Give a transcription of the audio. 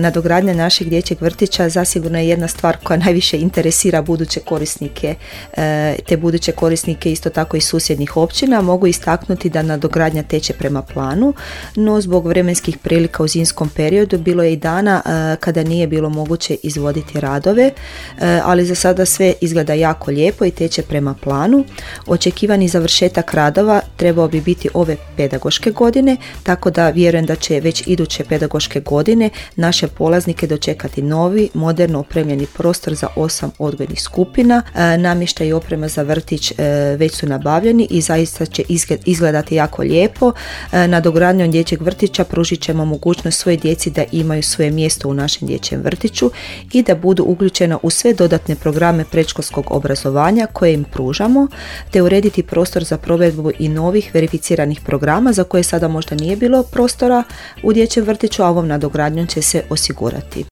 Nadogradnja našeg dječjeg vrtića zasigurno je jedna stvar koja najviše interesira buduće korisnike, te buduće korisnike isto tako i susjednih općina. Mogu istaknuti da nadogradnja teče prema planu, no zbog vremenskih prilika u zimskom periodu bilo je i dana kada nije bilo moguće izvoditi radove, ali za sada sve izgleda jako lijepo i teče prema planu. Očekivani završetak radova trebao bi biti ove pedagoške godine, tako da vjerujem da će već iduće pedagoške godine naše polaznike dočekati novi, moderno opremljeni prostor za 8 odgojnih skupina. Namještaj i oprema za vrtić već su nabavljeni i zaista će izgledati jako lijepo. Nadogradnjom dječjeg vrtića pružit ćemo mogućnost svojoj djeci da imaju svoje mjesto u našem dječjem vrtiću i da budu uključena u sve dodatne programe predškolskog obrazovanja koje im pružamo, te urediti prostor za provedbu i novih verificiranih programa za koje sada možda nije bilo prostora u dječjem vrtiću, a ovom nadogradnjom će se osigurati.